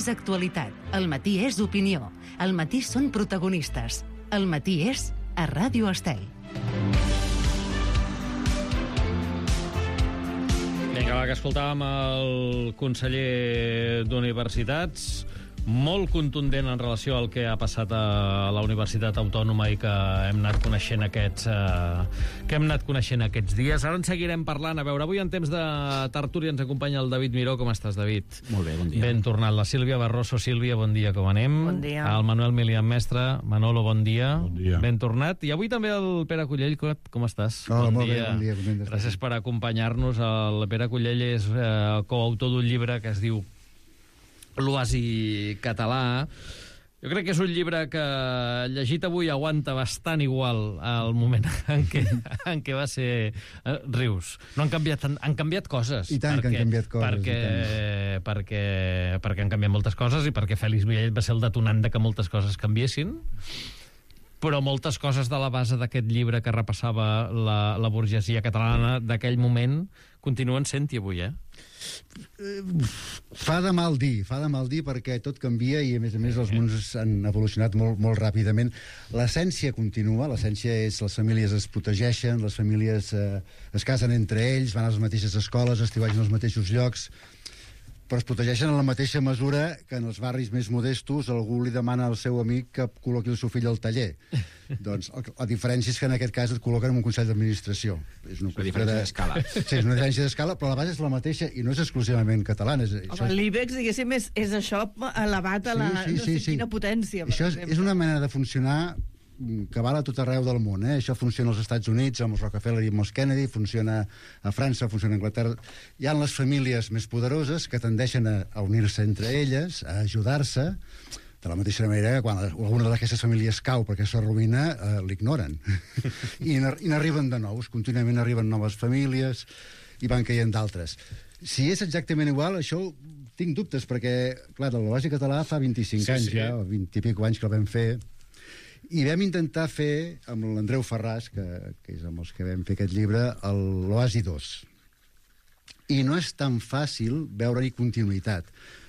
és actualitat. El matí és opinió. El matí són protagonistes. El matí és a Ràdio Estel. Vinga, va, que escoltàvem el conseller d'Universitats, molt contundent en relació al que ha passat a la Universitat Autònoma i que hem anat coneixent aquests dies. Ara en seguirem parlant. A veure, avui en temps de tertúlia ens acompanya el David Miró. Com estàs, David? Molt bé, bon dia. Ben tornat. La Sílvia Barroso. Sílvia, bon dia, com anem? Bon dia. El Manuel Milian Mestre. Manolo, bon dia. Bon dia. Ben tornat. I avui també el Pere Cullell. Com estàs? Hola, molt bé, bon dia. Gràcies per acompanyar-nos. El Pere Cullell és coautor d'un llibre que es diu L'Oasi català. Jo crec que és un llibre que, llegit avui, aguanta bastant igual al moment en què va ser... rius. No han canviat coses. I tant que han canviat coses. Perquè han canviat moltes coses i perquè Fèlix Millet va ser el detonant de que moltes coses canviessin. Però moltes coses de la base d'aquest llibre que repassava la burgesia catalana d'aquell moment continuen sent-hi avui, Fa de mal dir perquè tot canvia i a més els mons han evolucionat molt ràpidament. L'essència continua, l'essència és les famílies es protegeixen, les famílies es casen entre ells, van a les mateixes escoles, estiuegen als mateixos llocs, però es protegeixen en la mateixa mesura que en els barris més modestos algú li demana al seu amic que col·loqui el seu fill al taller. Doncs la diferència és que en aquest cas et col·loquen en un consell d'administració. És una diferència d'escala. Sí, és una diferència d'escala, però la base és la mateixa i no és exclusivament catalana. L'IBEX, diguéssim, és això elevat a la quina potència. Això és una manera de funcionar que val a tot arreu del món, Això funciona als Estats Units amb els Rockefeller i amb els Kennedy, funciona a França, funciona a Anglaterra. Hi ha les famílies més poderoses que tendeixen a unir-se entre elles, a ajudar-se, de la mateixa manera que quan alguna d'aquestes famílies cau perquè s'arruïna, l'ignoren. I n'arriben de nous, contínuament arriben noves famílies i van caient d'altres. Si és exactament igual, això tinc dubtes, perquè, clar, l'Oasi català fa 25 anys ja, o 20 i pico anys que el vam fer, i vam intentar fer amb l'Andreu Ferràs, que és amb els que vam fer aquest llibre, l'Oasi 2. I no és tan fàcil veure-hi continuïtat,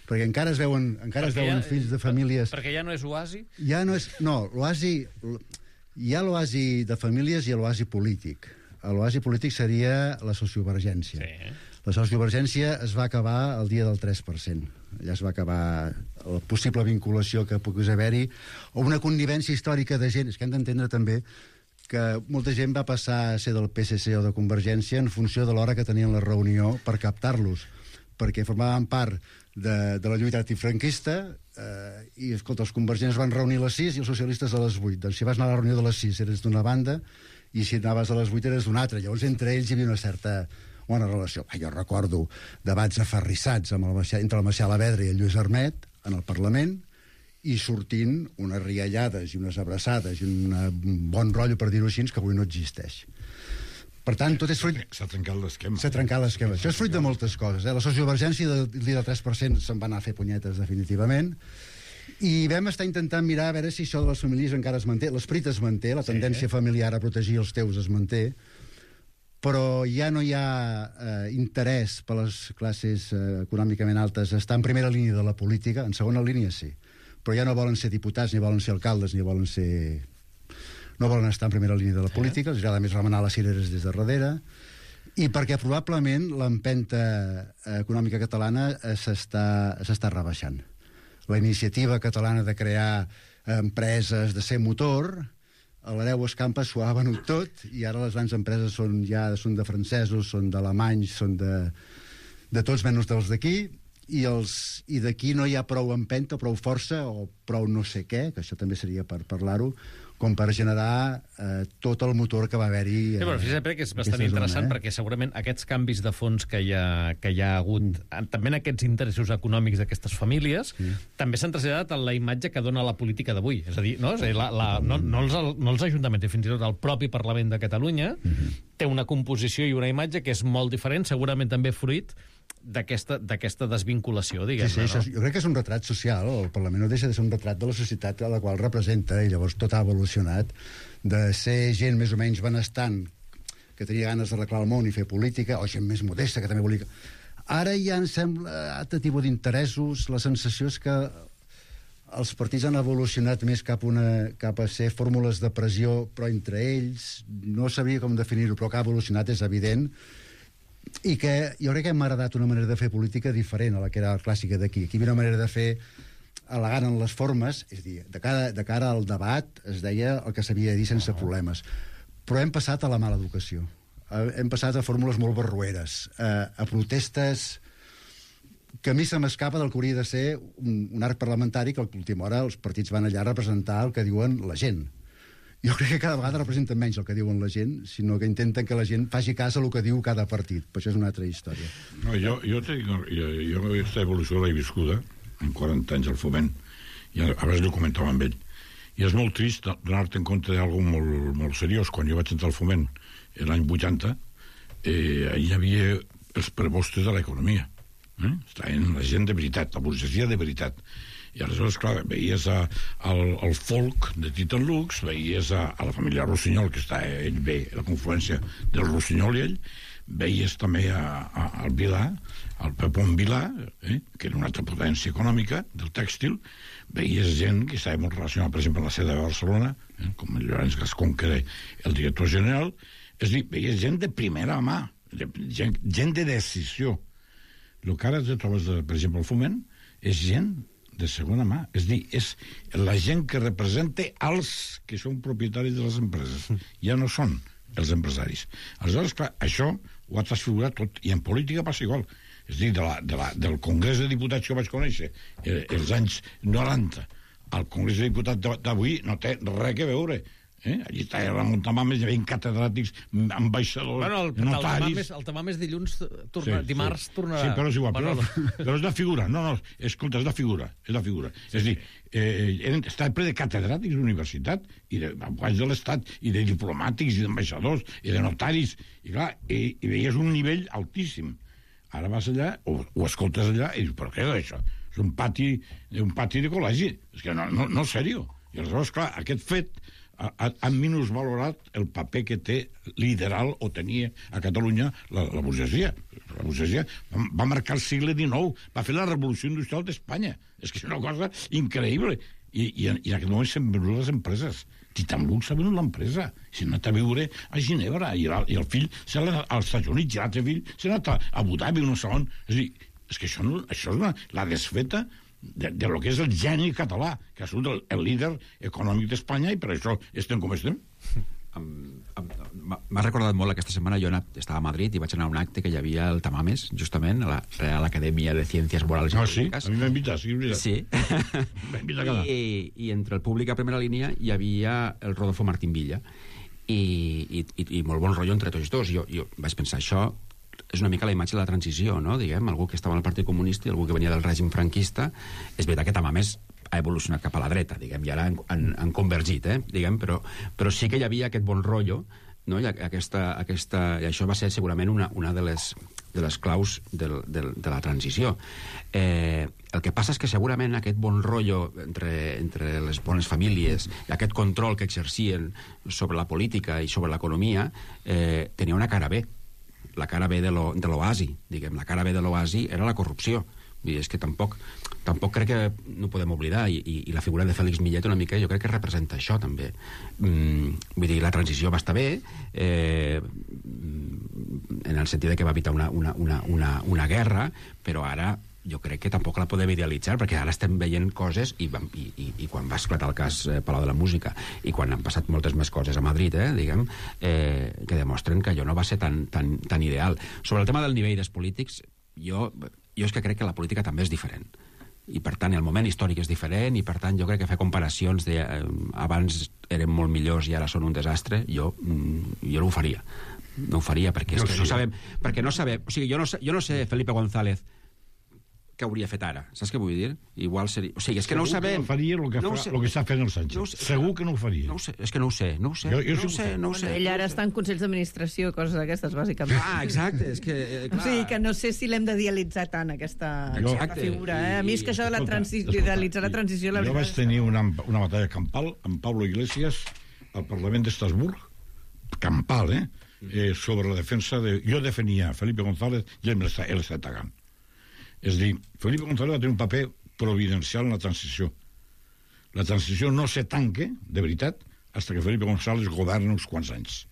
perquè encara es veuen fills de famílies... Perquè ja no és oasi? Ja no és... No, l'oasi... Hi ha l'oasi de famílies i l'oasi polític. L'oasi polític seria la sociovergència. Sí. La sociovergència es va acabar el dia del 3%. Allà es va acabar la possible vinculació que pogués haver-hi, o una connivència històrica de gent. És que hem d'entendre també que molta gent va passar a ser del PSC o de Convergència en funció de l'hora que tenien la reunió per captar-los, perquè formaven part de la lluita antifranquista i, escolta, els convergents van reunir a les 6 i els socialistes a les 8. Doncs si vas anar a la reunió de les 6 eres d'una banda i si anaves a les 8 eres d'una altra. Llavors entre ells hi havia una certa bona relació. Jo recordo debats aferrissats entre el Macià Alavedra i el Lluís Armet en el Parlament i sortint unes riallades i unes abraçades i un bon rotllo, per dir-ho així, que avui no existeix. Per tant, tot és fruit... S'ha trencat l'esquema. Això és fruit de moltes coses. La sociovergència del 3% se'n va anar a fer punyetes definitivament i vam estar intentant mirar a veure si això de les famílies encara es manté. L'esperit es manté, la tendència familiar a protegir els teus es manté, però ja no hi ha interès per les classes econòmicament altes a estar en primera línia de la política. En segona línia sí, però ja no volen ser diputats, ni volen ser alcaldes, ni volen ser... no volen estar en primera línia de la política, els agrada més remenar les cireres des de darrere, i perquè probablement l'empenta econòmica catalana s'està rebaixant. La iniciativa catalana de crear empreses, de ser motor, a l'Hereu Escampa s'ho ha venut tot i ara les grans empreses són de francesos, són d'alemanys, són de tots menys dels d'aquí, i d'aquí no hi ha prou empenta, prou força o prou no sé què, que això també seria per parlar-ho, com per generar tot el motor que va haver-hi. Sí, però fíjate que és bastant interessant perquè segurament aquests canvis de fons que hi ha hagut, també en aquests interessos econòmics d'aquestes famílies, també s'han traslladat a la imatge que dona la política d'avui. És a dir, no els ajuntaments, fins i tot el propi Parlament de Catalunya té una composició i una imatge que és molt diferent, segurament també fruit d'aquesta desvinculació, diguem-ne. Sí, jo crec que és un retrat social. El Parlament no deixa de ser un retrat de la societat a la qual representa, i llavors tot ha evolucionat de ser gent més o menys benestant que tenia ganes d'arreglar el món i fer política, o gent més modesta que també volia... Ara ja em sembla, altre tipus d'interessos, la sensació és que els partits han evolucionat més cap a ser fórmules de pressió, però entre ells, no sabia com definir-ho, però que ha evolucionat, és evident, i que jo crec que hem heredat una manera de fer política diferent a la que era la clàssica d'aquí. Aquí hi havia una manera de fer elegant en les formes, és a dir, de cara al debat es deia el que s'havia de dir sense problemes. Però hem passat a la mala educació. Hem passat a fórmules molt barroeres, a protestes que a mi se m'escapa del que hauria de ser un arc parlamentari, que a l'última hora els partits van allà a representar el que diuen la gent. Jo crec que cada vegada representen menys el que diuen la gent, sinó que intenten que la gent faci cas a el que diu cada partit. Però això és una altra història. No, jo aquesta evolució l'he viscuda en 40 anys al Foment, i a vegades ho comentava amb ell. I és molt trist donar-te en compte d'alguna molt, molt seriós. Quan jo vaig entrar al Foment, l'any 80, hi havia els prepostos de l'economia. Estaven la gent de veritat, la burgesia de veritat. I aleshores, clar, veies al folk de Titan Lux, veies a la família Rossinyol, que està ell bé, la confluència del Rossinyol i ell, veies també al Vilà, al Pepón Vilà, que era una altra potència econòmica del tèxtil, veies gent que estava molt relacionada, per exemple, amb la seda de Barcelona, com el Llorenç Gascón, que era el director general, és a dir, veies gent de primera mà, gent de decisió. El que ara trobes, per exemple, al Foment, és gent de segona mà. És a dir, és la gent que representa els que són propietaris de les empreses. Ja no són els empresaris. Aleshores, clar, això ho ha transfigurat tot. I en política passa igual. És a dir, del Congrés de Diputats que vaig conèixer els anys 90 al Congrés de Diputats d'avui no té res a veure. Allí està Ramon Tamames, hi havia catedràtics, ambaixadors, notaris... El Tamames dilluns, dimarts tornarà... Sí, però és igual, però és la figura. No, escolta, és la figura. És a dir, està ple de catedràtics d'universitat, i d'abogats de l'Estat, i de diplomàtics, i d'ambaixadors, i de notaris, i clar, i veies un nivell altíssim. Ara vas allà, o escoltes allà, i dius, però què és això? És un pati de col·legi. És que no, sèrio. I aleshores, clar, aquest fet han minusvalorat el paper que té lideral o tenia a Catalunya la burgesia. La burgesia va marcar el segle XIX, va fer la revolució industrial d'Espanya. És que és una cosa increïble. I en aquest moment s'han venut les empreses. Titan Lux s'ha venut l'empresa. S'ha anat a viure a Ginebra, i el fill s'ha anat als Estats Units, i l'altre fill s'ha anat a Abu Dhabi, un segon. És a dir, és que això és la desfeta de lo que és el geni català, que ha sigut el líder econòmic d'Espanya, i per això estem com estem. M'ha recordat molt aquesta setmana. Jo estava a Madrid i vaig anar a un acte que hi havia el Tamames, justament, a la Real Academia de Ciències Morals i Polítiques. Sí? A mi m'invites, sí. M'invita a quedar. I entre el públic a primera línia hi havia el Rodolfo Martín Villa, i molt bon rotllo entre tots dos. Jo vaig pensar, això és una mica la imatge de la transició, no? Diguem, algú que estava en el Partit Comunista i algú que venia del règim franquista. És veritat que Tamames ha evolucionat cap a la dreta, diguem, i ara han convergit, diguem, però sí que hi havia aquest bon rotllo, no? I i això va ser segurament una de les claus de la transició. El que passa és que segurament aquest bon rotllo entre les bones famílies i aquest control que exercien sobre la política i sobre l'economia tenia una cara B. La cara B de l'oasi, diguem. La cara B de l'oasi era la corrupció. Vull dir, és que tampoc crec que no podem oblidar, i la figura de Félix Millet una mica jo crec que representa això també. Vull dir, la transició va estar bé, en el sentit que va evitar una guerra, però ara jo crec que tampoc la podem idealitzar, perquè ara estem veient coses, i quan va esclatar el cas Palau de la Música, i quan han passat moltes més coses a Madrid, diguem, que demostren que allò no va ser tan ideal. Sobre el tema del nivell dels polítics, jo és que crec que la política també és diferent. I, per tant, el moment històric és diferent, i, per tant, jo crec que fer comparacions de abans eren molt millors i ara són un desastre, jo no ho faria. No ho faria, perquè no sabem... Perquè no sabem... O sigui, jo no sé, Felipe González, què hauria fet ara, saps què vull dir? Igual seria... O sigui, és que no ho sabem. Segur que no faria el que està fent el Sánchez. Segur que no ho faria. No ho sé, és que no ho sé. No ho sé. Ell ara està en consells d'administració, coses d'aquestes, bàsicament. Exacte, és que... O sigui, que no sé si l'hem de dialitzar tant, aquesta figura. A mi és que això d'idealitzar la transició... Jo vaig tenir una batalla campal amb Pablo Iglesias al Parlament d'Estrasburg, campal, sobre la defensa de... Jo defenia Felipe González i ell està atacant. És a dir, Felipe González va tenir un paper providencial en la transició. La transició no se tanque, de veritat, fins que Felipe González governa uns quants anys.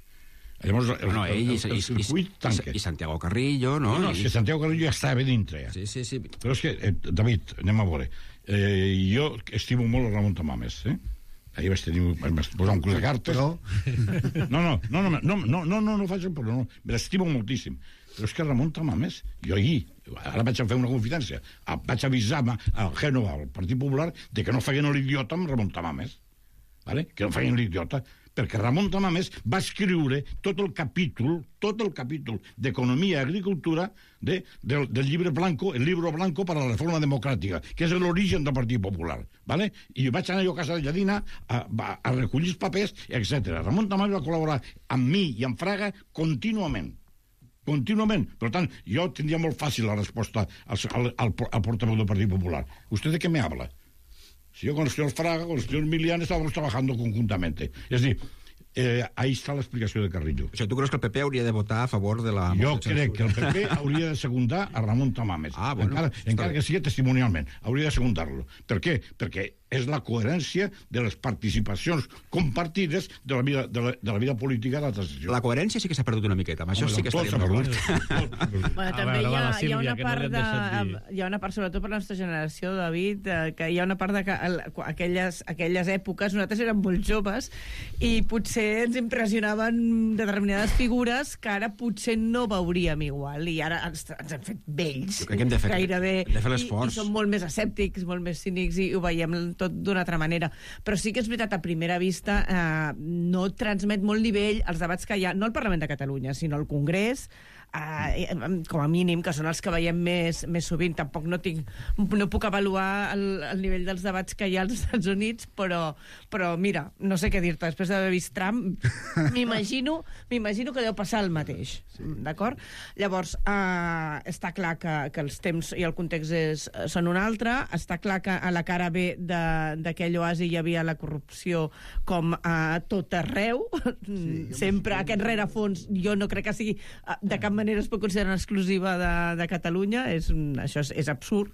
Llavors, el circuit tanca. I Santiago Carrillo, no? No, si Santiago Carrillo ja estava dintre. Ja. Sí. Però és que, David, anem a veure. Jo estimo molt el Ramon Tamames, Ahir vaig posar un cul de cartes. Però... No faig un problema. Me l'estimo moltíssim. Però és que Ramon Tamames, jo ahir, ara vaig a fer una confidència, vaig avisar al Génova, al Partit Popular, de que no feien l'idiota amb Ramon Tamames. Vale? Que no feien l'idiota. Perquè Ramon Tamames va escriure tot el capítol d'Economia i Agricultura del llibre blanco, el libro blanco para la reforma democràtica, que és l'origen del Partit Popular. ¿Vale? I vaig anar jo a casa de Lladina a recollir els papers, etc. Ramon Tamames va col·laborar amb mi i amb Fraga contínuament. Per tant, jo tindria molt fàcil la resposta al portavoz del Partit Popular. ¿Usted de qué me habla? Si yo con el señor Fraga, con el señor Milian estábamos trabajando conjuntamente. Es decir, ahí está la explicació de Carrillo. O sigui, tu creus que el PP hauria de votar a favor de la... Jo crec que el PP hauria de secundar a Ramon Tamames. Bueno, encara que sigui testimonialment. Hauria de secundar-lo. Per què? Perquè és la coherència de les participacions compartides de la vida política de la transició. La coherència sí que s'ha perdut una miqueta. Amb això sí que estaríem d'acord. Bueno, també hi ha una part, sobretot per la nostra generació, David, que hi ha una part de que aquelles èpoques, nosaltres érem molt joves i potser ens impressionaven determinades figures que ara potser no veuríem igual, i ara ens hem fet vells. Jo crec que hem de fer l'esforç. I som molt més escèptics, molt més cínics, i ho veiem tot d'una altra manera. Però sí que és veritat, a primera vista no transmet molt nivell els debats que hi ha, no al Parlament de Catalunya, sinó al Congrés, com a mínim, que són els que veiem més sovint. Tampoc no puc avaluar el nivell dels debats que hi ha als Estats Units, però mira, no sé què dir-te, després d'haver vist Trump, m'imagino que deu passar el mateix, d'acord? Llavors, està clar que els temps i el context són un altre, està clar que a la cara B d'aquell oasi hi havia la corrupció com a tot arreu, sempre aquest rerefons jo no crec que sigui de cap manera es pot considerar una exclusiva de Catalunya. Això és absurd.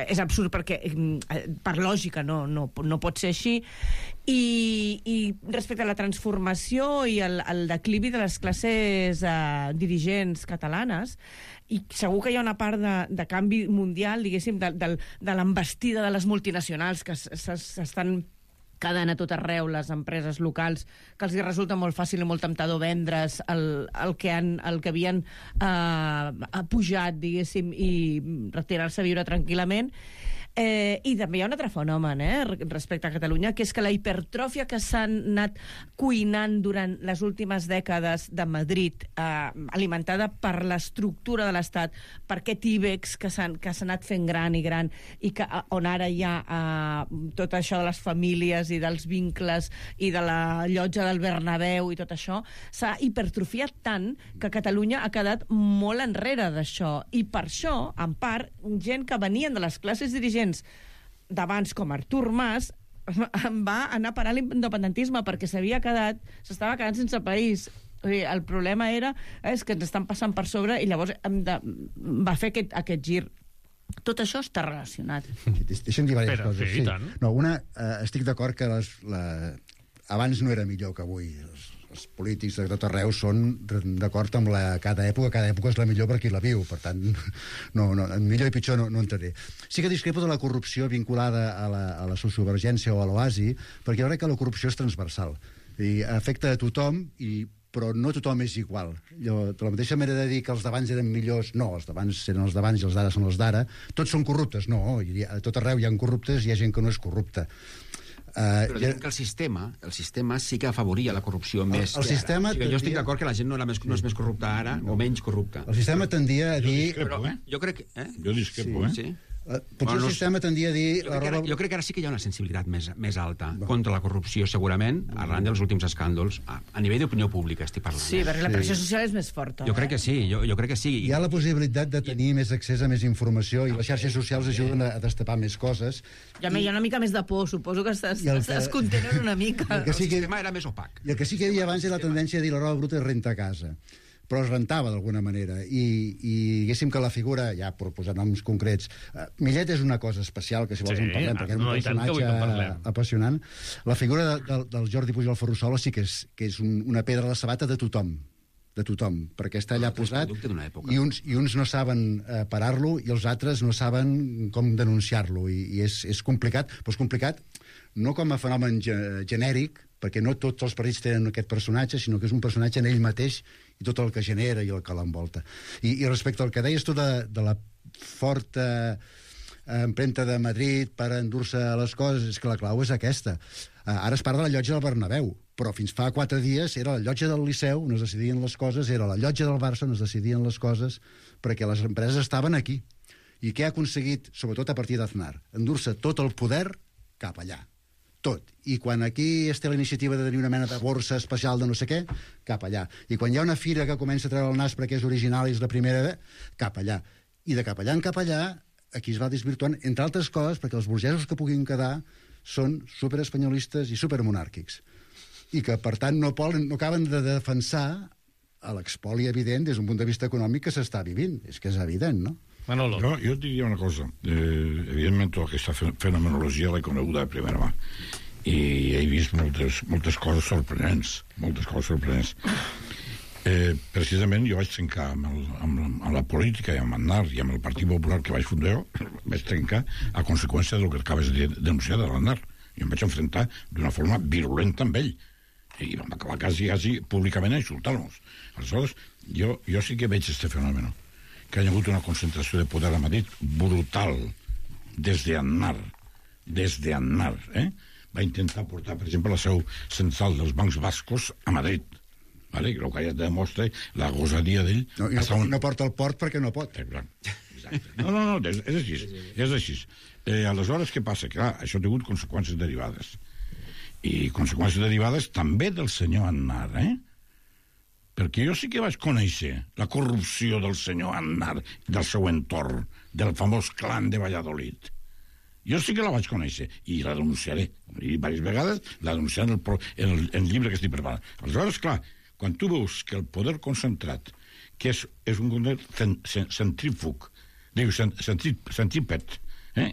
És absurd perquè per lògica no pot ser així. I respecte a la transformació i el declivi de les classes dirigents catalanes, i segur que hi ha una part de canvi mundial, diguéssim, de l'embestida de les multinacionals que s'estan quedant a tot arreu, les empreses locals, que els resulta molt fàcil i molt temptador vendre's el que havien pujat, diguéssim, i retirar-se a viure tranquil·lament. I també hi ha un altre fenomen respecte a Catalunya, que és que la hipertròfia que s'han anat cuinant durant les últimes dècades de Madrid, alimentada per l'estructura de l'Estat, per aquest IBEX que s'ha anat fent gran, i que on ara hi ha tot això de les famílies i dels vincles i de la llotja del Bernabéu i tot això, s'ha hipertrofiat tant que Catalunya ha quedat molt enrere d'això. I per això, en part, gent que venien de les classes dirigents d'abans, com Artur Mas, va anar a parar l'independentisme perquè s'estava quedant sense país. El problema és que ens estan passant per sobre, i llavors va fer aquest gir. Tot això està relacionat. Deixa'm dir diverses coses. Sí, tant. No, una, estic d'acord que abans no era millor que avui. Els polítics de tot arreu són d'acord amb cada època és la millor per qui la viu, per tant, millor i pitjor no entraré. Sí que discrepo de la corrupció vinculada a la sociovergència o a l'oasi, perquè jo crec que la corrupció és transversal, i afecta a tothom, però no tothom és igual. De la mateixa manera de dir que els d'abans eren millors, no, els d'abans eren els d'abans i els d'ara són els d'ara, tots són corruptes, no, a tot arreu hi ha corruptes i hi ha gent que no és corrupta. Però diguem que el sistema sí que afavoria la corrupció més que ara. Jo estic d'acord que la gent no és més corrupta ara o menys corrupta. El sistema tendia a dir... Jo discrepo, Jo crec... Jo discrepo, Sí. Potser el sistema tendia a dir... Jo crec que ara sí que hi ha una sensibilitat més alta contra la corrupció, segurament, arran dels últims escàndols. A nivell d'opinió pública estic parlant. Sí, perquè la pressió social és més forta. Jo crec que sí, jo crec que sí. Hi ha la possibilitat de tenir més accés a més informació i les xarxes socials ajuden a destapar més coses. Hi ha una mica més de por, suposo que es contenen una mica. El sistema era més opac. I el que sí que hi havia abans era la tendència a dir la roba bruta és renta a casa, però es rentava d'alguna manera, i diguéssim que la figura, ja per posar noms concrets, Millet és una cosa especial, que si vols en parlem, perquè és un personatge apassionant. La figura del Jordi Pujol Ferrusola sí que és una pedra a la sabata de tothom, perquè està allà posat i uns no saben parar-lo i els altres no saben com denunciar-lo, i és complicat, però és complicat no com a fenomen genèric, perquè no tots els partits tenen aquest personatge, sinó que és un personatge en ell mateix i tot el que genera i el que l'envolta. I respecte al que deies tu de la forta empremta de Madrid per endur-se les coses, és que la clau és aquesta. Ara es parla de la llotja del Bernabéu, però fins fa 4 dies era la llotja del Liceu on es decidien les coses, era la llotja del Barça on es decidien les coses, perquè les empreses estaven aquí. I què ha aconseguit, sobretot a partir d'Aznar? Endur-se tot el poder cap allà. Tot. I quan aquí es té la iniciativa de tenir una mena de borsa especial de no sé què, cap allà. I quan hi ha una fira que comença a treure el nas perquè és original i és la primera, cap allà. I de cap allà en cap allà, aquí es va desvirtuant, entre altres coses, perquè els burgesos que puguin quedar són superespanyolistes i supermonàrquics. I que, per tant, no acaben de defensar l'expoli evident des d'un punt de vista econòmic que s'està vivint. És que és evident, no? Manolo. Jo et diria una cosa. Evidentment, tota aquesta fenomenologia l'he coneguda de primera mà. I he vist moltes coses sorprenents. Precisament jo vaig trencar amb la política i amb Aznar i amb el Partit Popular que vaig fundar jo, vaig trencar a conseqüència del que acabes de denunciar de l'Aznar. I em vaig enfrontar d'una forma virulenta amb ell. I vam acabar quasi públicament a insultar-nos. Aleshores, jo sí que veig este fenomen, que hi ha hagut una concentració de poder a Madrid brutal des d'Aznar, va intentar portar, per exemple, la seu central dels bancs bascos a Madrid, vale? El que ja demostra la gosadia d'ell. No porta el port perquè no pot. Exacte. No, és així. Aleshores, què passa? Clar, això ha tingut conseqüències derivades. I conseqüències derivades també del senyor Aznar, perquè jo sí que vaig conèixer la corrupció del senyor Aznar, del seu entorn, del famós clan de Valladolid. Jo sí que la vaig conèixer, i la denunciaré. I diverses vegades la denunciaré en el llibre que estic preparant. Aleshores, clar, quan tu veus que el poder concentrat, que és un poder centrífug, centrípet,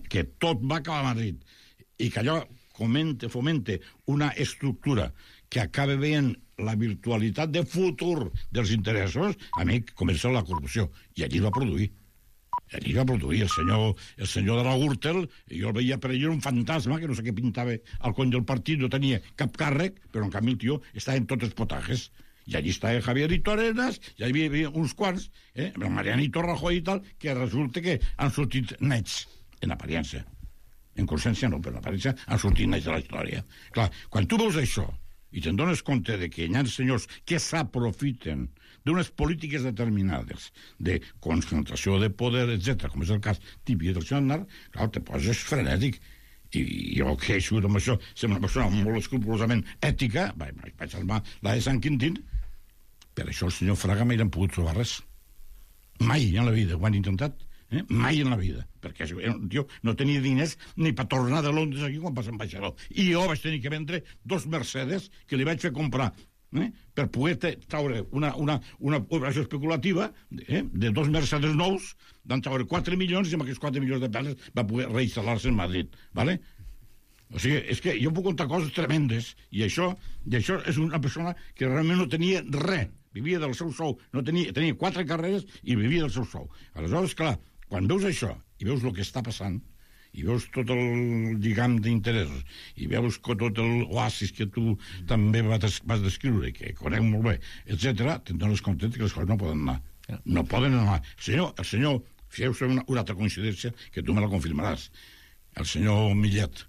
que tot va acabar a Madrid, i que allò fomente una estructura que acaba veient la virtualitat de futur dels interessos, a mi comença la corrupció. I allí va produir. El senyor de la Gürtel, jo el veia per allà un fantasma, que no sé què pintava al cony del partit, no tenia cap càrrec, però en canvi el tio estava en tots els potajes. I allí estava Javierito Arenas, i hi havia uns quants, Marianito Rajoy i tal, que resulta que han sortit nets, en aparència. En consciència no, però en aparència han sortit nets de la història. Clar, quan tu veus això, i te'n dones compte de que hi ha senyors que s'aprofiten d'unes polítiques determinades de concentració de poder, etc., com és el cas típic del senyor Aznar, clar, te poses frenètic. I jo que he sigut amb això, sembla una persona molt escrupolosament ètica, vaig salvar la de Sant Quintín, per això el senyor Fraga mai l'han pogut trobar res. Mai en la vida ho han intentat. Mai en la vida, perquè el tio no tenia diners ni per tornar de Londres aquí quan passa ambaixador. I jo vaig tenir que vendre 2 Mercedes que li vaig fer comprar per poder traure una operació especulativa de 2 Mercedes nous, van traure 4 milions i amb aquests 4 milions de peles va poder reinstal·lar-se en Madrid, ¿vale? O sigui, és que jo puc contar coses tremendes i això és una persona que realment no tenia res, vivia del seu sou, tenia 4 carreres i vivia del seu sou. Aleshores, clar, quan veus això i veus el que està passant i veus tot el lligam d'interessos i veus tot l'oasis que tu també vas descriure, que conec molt bé, etc., te'n dones compte que les coses no poden anar. No poden anar. El senyor, fixeu-se una altra coincidència que tu me la confirmaràs. El senyor Millet,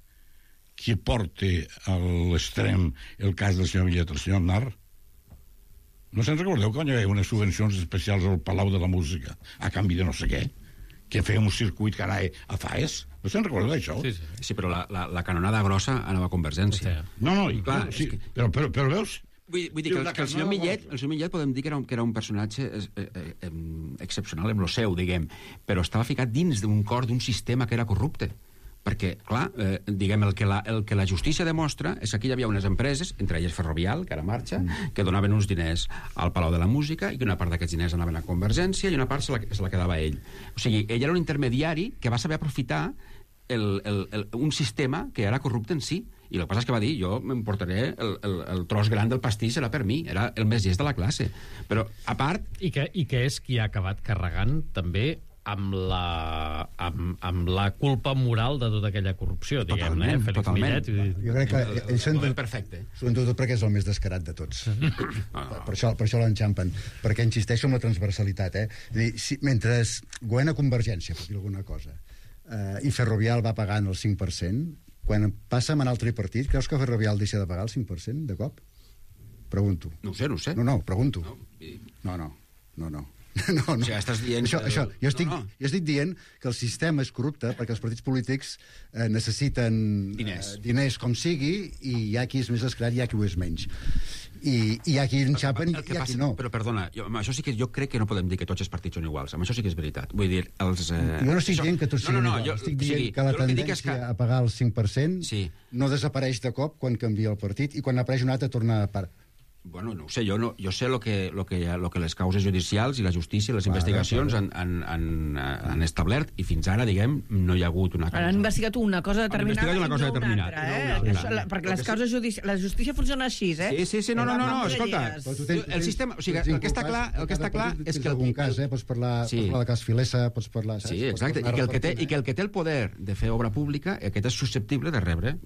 qui porta a l'extrem el cas del senyor Millet, el senyor Aznar, no se'n recordeu quan hi havia unes subvencions especials al Palau de la Música a canvi de no sé què? que feia un circuit que anava a Faes. No se'n recorda d'això? Sí, però la canonada grossa anava a Convergència. No, clar, sí, però veus... Vull dir que el senyor Millet podem dir que era un personatge excepcional en lo seu, diguem, però estava ficat dins d'un cor d'un sistema que era corrupte. Perquè, clar, diguem, el que la justícia demostra és que aquí hi havia unes empreses, entre elles Ferrovial, que ara marxa, que donaven uns diners al Palau de la Música i que una part d'aquests diners anaven a Convergència i una part se la quedava ell. O sigui, ell era un intermediari que va saber aprofitar un sistema que era corrupte en si. I el que passa és que va dir, jo m'emportaré el tros gran del pastís, era per mi, era el més llest de la classe. Però, a part... I que és qui ha acabat carregant també amb la culpa moral de tota aquella corrupció, diguem-ne, Félix Millet. Jo crec que ells són perfecte. Sobretot perquè és el més descarat de tots. Per això l'enxampen. Perquè insisteixo en la transversalitat. És a dir, mentre governa Convergència, per dir alguna cosa, i Ferrovial va pagant el 5%, quan passa a manar el tripartit, creus que Ferrovial deixa de pagar el 5% de cop? Pregunto. No ho sé. No, pregunto. No. O sigui, estàs dient... Jo estic dient que el sistema és corrupte perquè els partits polítics necessiten diners com sigui, i hi ha qui és més descarat i hi ha qui ho és menys. I hi ha qui enxapen i hi ha qui no. Però perdona, això sí que jo crec que no podem dir que tots els partits són iguals. Amb això sí que és veritat. Vull dir, jo no estic dient que tots siguin iguals. Estic dient que la tendència a pagar el 5% no desapareix de cop quan canvia el partit i quan apareix un altre torna a part. Bueno, no ho sé, jo sé lo que les causes judicials i la justícia i les investigacions han establert, i fins ara, diguem, no hi ha hagut una causa. Han investigat una cosa determinada i no una altra. Perquè les causes judicials... La justícia funciona així, Sí, no, escolta. El sistema... O sigui, el que està clar és que... En algun cas, pots parlar de cas Filesa, pots parlar... Sí, exacte, i que el que té el poder de fer obra pública, aquest és susceptible de rebre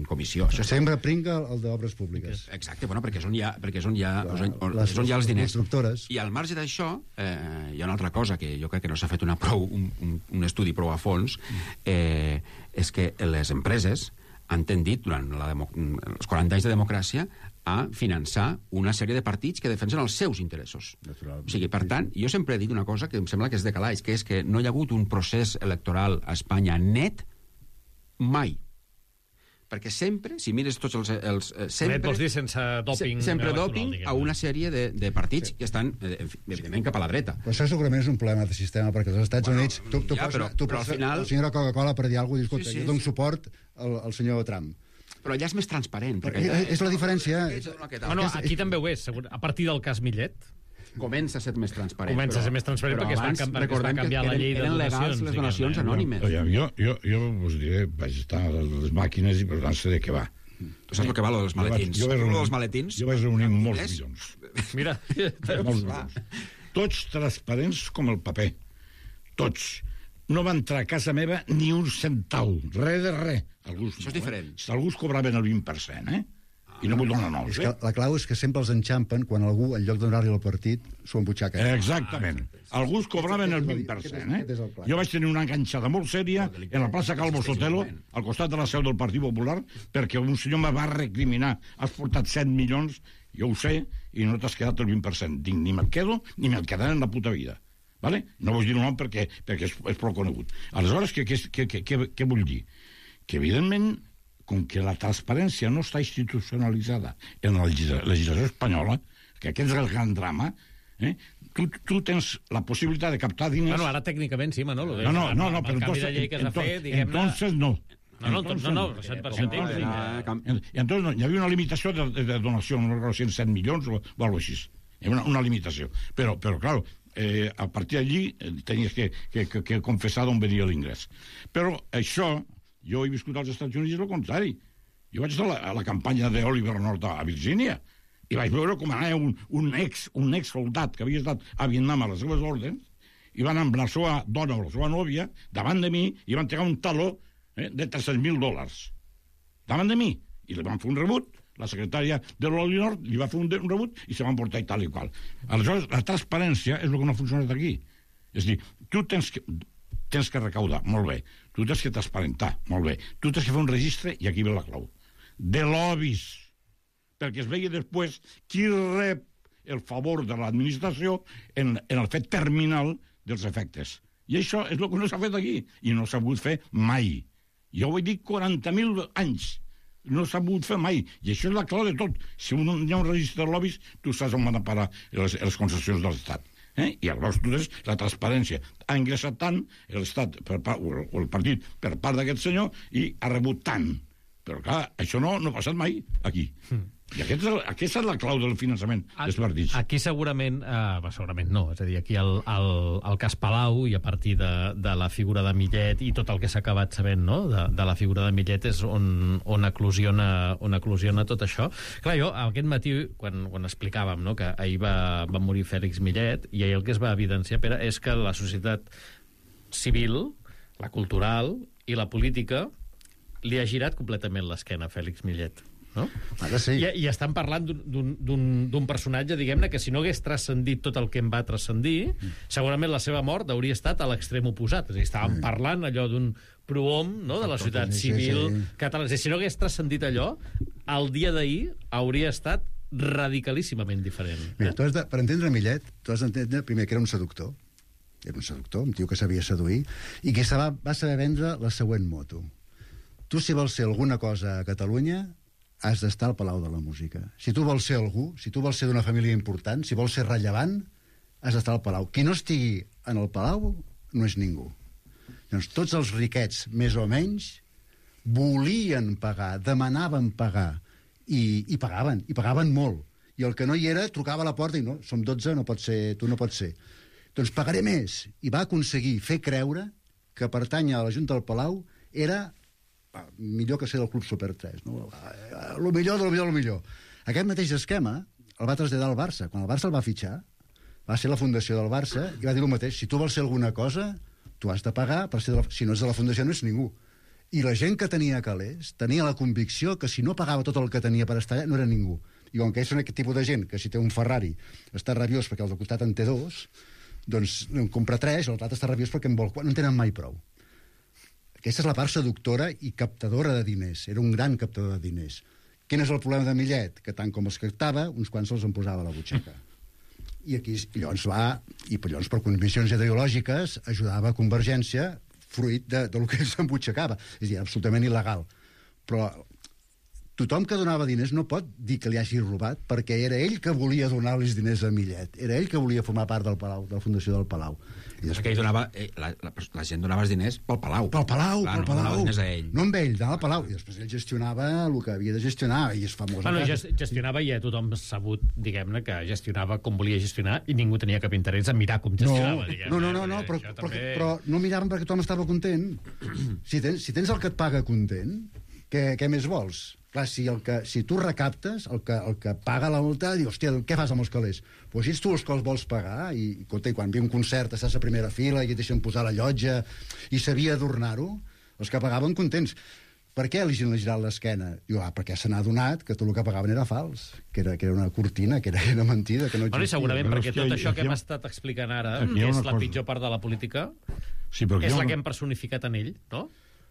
comissió. Sempre pringa el d'obres públiques. Exacte, bueno, perquè és on hi ha els diners. I al marge d'això, hi ha una altra cosa que jo crec que no s'ha fet un estudi prou a fons, és que les empreses han tendit, durant els 40 anys de democràcia, a finançar una sèrie de partits que defensen els seus interessos. O sigui, per tant, jo sempre he dit una cosa que em sembla que és de calaix, que és que no hi ha hagut un procés electoral a Espanya net mai. Perquè sempre, si mires tots els sempre vols dir sense dòping, sempre dòping a una sèrie de partits que estan, evidentment, cap a la dreta. Però això segurament és un problema de sistema, perquè als Estats Units tu però al final... la senyora Coca-Cola per dir alguna cosa, jo dono suport al senyor Trump. Però allà és més transparent. És la diferència. Bueno, aquí també ho és, a partir del cas Millet. Comença a ser més transparent. Perquè es va canviar la llei de donacions. Eren legals les donacions anònimes. Jo us diré, vaig estar a les màquines i per tant sé de què va. Tu saps el que va, lo dels maletins? Jo vaig reunir molts milions. Mira. Molts milions. Tots transparents com el paper. Tots. No va entrar a casa meva ni un centau. Res de res. Això és diferent. Alguns cobraven el 20%, i no vull donar noms, La clau és que sempre els enxampen quan algú, en lloc de donar-li al partit, s'ho embutxaca. Exactament. Alguns cobraven el 20%, Jo vaig tenir una enganxada molt sèria en la plaça Calvo Sotelo, al costat de la seu del Partit Popular, perquè un senyor me va recriminar. Has portat 7 milions, jo ho sé, i no t'has quedat el 20%. Dic, ni me'l quedo, ni me'l quedaré en la puta vida. Vale? No vull dir un nom perquè és prou conegut. Aleshores, què vull dir? Que, evidentment, com que la transparència no està institucionalitzada en la legislació espanyola, que aquest és el gran drama, tu tens la possibilitat de captar diners... Bueno, ara tècnicament sí, Manolo. No, però entonces no. Entonces hi havia una limitació de donació, no recordo si 100 milions o alguna cosa així. Hi havia una limitació. Però clar, a partir d'allí tenies que confessar d'on venia l'ingrés. Però això... Jo he viscut als Estats Units i és el contrari. Jo vaig estar a la campanya d'Oliver North a Virgínia i vaig veure com anava un ex soldat que havia estat a Vietnam a les seves ordres i van amb la seva dona o la seva nòvia davant de mi i van entregar un taló de $300,000 davant de mi. I li van fer un rebut, la secretària de l'Oliver North li va fer un rebut i se van portar i tal i qual. Aleshores, la transparència és el que no ha funcionat aquí. És a dir, tu tens que recaudar, molt bé. Tu tens que transparentar, molt bé. Tu tens que fer un registre, i aquí ve la clau, de lobbies, perquè es vegi després qui rep el favor de l'administració en el fet terminal dels efectes. I això és el que no s'ha fet aquí, i no s'ha pogut fer mai. Jo ho he dit 40.000 anys. No s'ha pogut fer mai. I això és la clau de tot. Si hi ha un registre de lobbies, tu saps on van a parar les concessions de l'Estat. I llavors tu tens la transparència. Ha ingressat tant l'Estat o el partit per part d'aquest senyor i ha rebut tant. Però clar, això no ha passat mai aquí. I aquesta és la clau del finançament dels partits. Aquí segurament no, és a dir, aquí el cas Palau, i a partir de la figura de Millet i tot el que s'ha acabat sabent, no?, de la figura de Millet és on eclosiona tot això. Clar, jo aquest matí, quan explicàvem, no?, que ahir va morir Fèlix Millet, i ahir el que es va evidenciar, Pere, és que la societat civil, la cultural i la política li ha girat completament l'esquena a Fèlix Millet, no? Ara sí. I estan parlant d'un personatge, diguem-ne, que si no hagués transcendit tot el que em va transcendir, segurament la seva mort hauria estat a l'extrem oposat. És a dir, estàvem parlant allò d'un prohom, no?, de la societat civil catalana. És a dir, si no hagués transcendit allò, el dia d'ahir hauria estat radicalíssimament diferent. Mira, per entendre Millet, tu has d'entendre primer que era un seductor. Era un seductor, un tio que sabia seduir, i que va saber vendre la següent moto. Tu, si vols ser alguna cosa a Catalunya, has d'estar al Palau de la Música. Si tu vols ser algú, si tu vols ser d'una família important, si vols ser rellevant, has d'estar al Palau. Qui no estigui en el Palau no és ningú. Llavors, tots els riquets, més o menys, volien pagar, demanaven pagar, i pagaven molt. I el que no hi era trucava a la porta i no, som 12, no pot ser, tu no pots ser. Doncs pagaré més. I va aconseguir fer creure que pertànyer a la Junta del Palau era millor que ser del Club Super 3, no? Lo millor. Aquest mateix esquema el va traslladar al Barça. Quan el Barça el va fitxar, va ser la fundació del Barça i va dir el mateix. Si tu vols ser alguna cosa, tu has de pagar, si no és de la fundació no és ningú. I la gent que tenia calés tenia la convicció que si no pagava tot el que tenia per estar allà, no era ningú. I com que és aquest tipus de gent que si té un Ferrari està rabiós perquè el de costat en té 2, doncs en compra 3, l'altre està rabiós perquè en vol 4, no en tenen mai prou. Aquesta és la part seductora i captadora de diners. Era un gran captador de diners. Quin és el problema de Millet? Que tant com els captava, uns quants se'ls en posava a la butxaca. I aquí llavors per condicions ideològiques ajudava a Convergència fruit del que s'embutxacava. És a dir, absolutament il·legal. Però tothom que donava diners no pot dir que li hagi robat, perquè era ell que volia donar-li diners a Millet. Era ell que volia formar part del Palau, de la fundació del Palau. I després... donava, la gent donava els diners pel Palau. Pel Palau. No donava diners a ell. No amb ell, anava al Palau. I després ell gestionava el que havia de gestionar, i és famós. Bueno, gestionava, i ja tothom sabut, diguem-ne, que gestionava com volia gestionar i ningú tenia cap interès en mirar com gestionava, diguem-ne. No, però no miraven perquè tothom estava content. Si tens el que et paga content, què més vols? Clar, si tu recaptes, el que paga la multa, diu, hòstia, què fas amb els calés? Doncs si ets tu els que els vols pagar, i quan ve un concert estàs a primera fila i et deixen posar la llotja, i sabia adornar-ho, els que pagaven contents. Per què li han girat l'esquena? Diu, perquè se n'ha adonat que tot el que pagaven era fals, que era una cortina, que era mentida, que no existia. I segurament perquè tot això que hem estat explicant ara, que és la pitjor part de la política, és la que hem personificat en ell, no?